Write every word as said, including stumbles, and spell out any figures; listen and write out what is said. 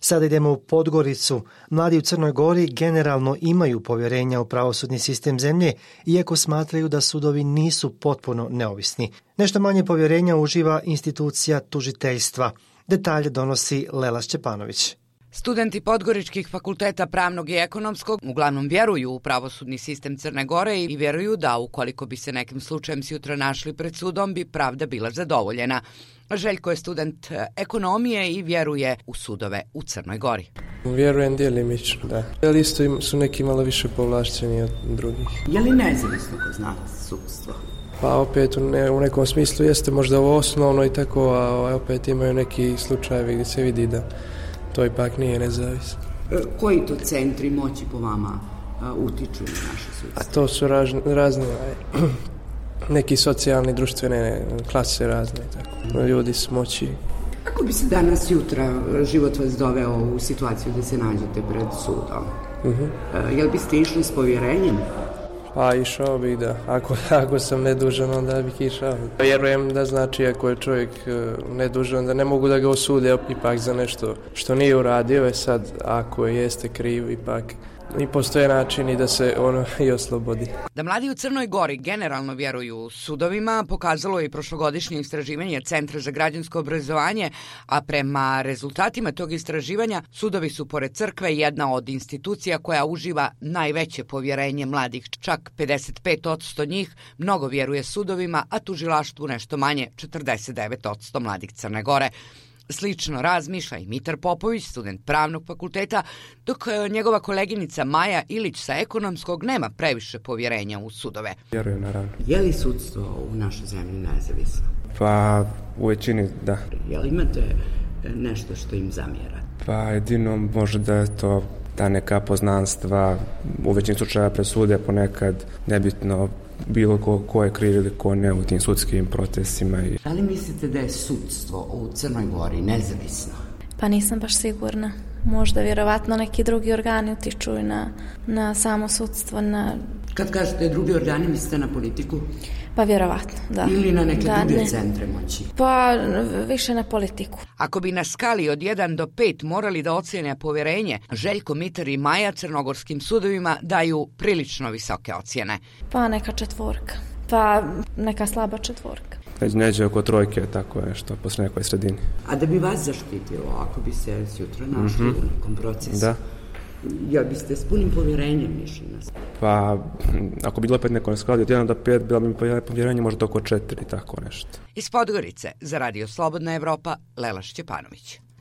Sada idemo u Podgoricu. Mladi u Crnoj Gori generalno imaju povjerenja u pravosudni sistem zemlje, iako smatraju da sudovi nisu potpuno neovisni. Nešto manje povjerenja uživa institucija tužiteljstva. Detalje donosi Lela Šćepanović. Studenti podgoričkih fakulteta pravnog i ekonomskog uglavnom vjeruju u pravosudni sistem Crne Gore i vjeruju da ukoliko bi se nekim slučajem sutra našli pred sudom bi pravda bila zadovoljena. Željko je student ekonomije i vjeruje u sudove u Crnoj Gori. Vjerujem djelimično, da. Ali isto su neki malo više povlašćeni od drugih. Je li nezavisno kod nas sudstvo? Pa opet u, ne, u nekom smislu jeste možda ovo osnovno i tako, a opet imaju neki slučajevi gdje se vidi da to ipak nije nezavisno. Koji to centri moći po vama a, utiču na naše sudstvo? A to su razne, razne neki socijalni, društvene klase razne, tako. Ljudi s moći. Kako bi se danas jutra život vas doveo u situaciju da se nađete pred sudom? Uh-huh. Jel biste išli s povjerenjem? Pa išao bih, da. Ako, ako sam nedužan, onda bih išao. Vjerujem da znači ako je čovjek nedužan, da ne mogu da ga osude ipak za nešto što nije uradio. Je sad, ako jeste kriv, ipak i postoje načini da se ono i oslobodi. Da mladi u Crnoj Gori generalno vjeruju sudovima pokazalo je i prošlogodišnje istraživanje Centra za građansko obrazovanje, a prema rezultatima tog istraživanja sudovi su pored crkve jedna od institucija koja uživa najveće povjerenje mladih. Čak pedeset pet posto njih mnogo vjeruje sudovima, a tužilaštvu nešto manje, četrdeset devet posto mladih Crne Gore. Slično razmišlja i Mitar Popović, student pravnog fakulteta, dok njegova koleginica Maja Ilić sa ekonomskog nema previše povjerenja u sudove. Vjerujem, naravno. Je li sudstvo u našoj zemlji nezavisno? Pa u većini da. Je li imate nešto što im zamjera? Pa jedino možda je to ta neka poznanstva, u većini slučaja presude ponekad nebitno bilo ko, ko je kriv ili ko ne u tim sudskim procesima. Da li mislite da je sudstvo u Crnoj Gori nezavisno? Pa nisam baš sigurna. Možda vjerovatno neki drugi organi utiču na, na samo sudstvo. Na... Kad kažete drugi organi, mislite na politiku? Pa vjerovatno, da. Ili na neke da, druge ne. centre moći? Pa više na politiku. Ako bi na skali od jedan do pet morali da ocjene povjerenje, Željko, Mitar i Maja crnogorskim sudovima daju prilično visoke ocjene. Pa neka četvorka. Pa neka slaba četvorka. Neđe oko trojke, tako je, što posle nekoj sredini. A da bi vas zaštitilo, ako bi se sutra našli mm-hmm. u nekom procesu? Da. Jel biste s punim povjerenjem išli na sve? Pa, ako bi bilo opet neko na skali od jedan do pet, bilo bi povjerenje možda oko četiri, tako nešto. Iz Podgorice, za Radio Slobodna Evropa, Lela Šćepanović.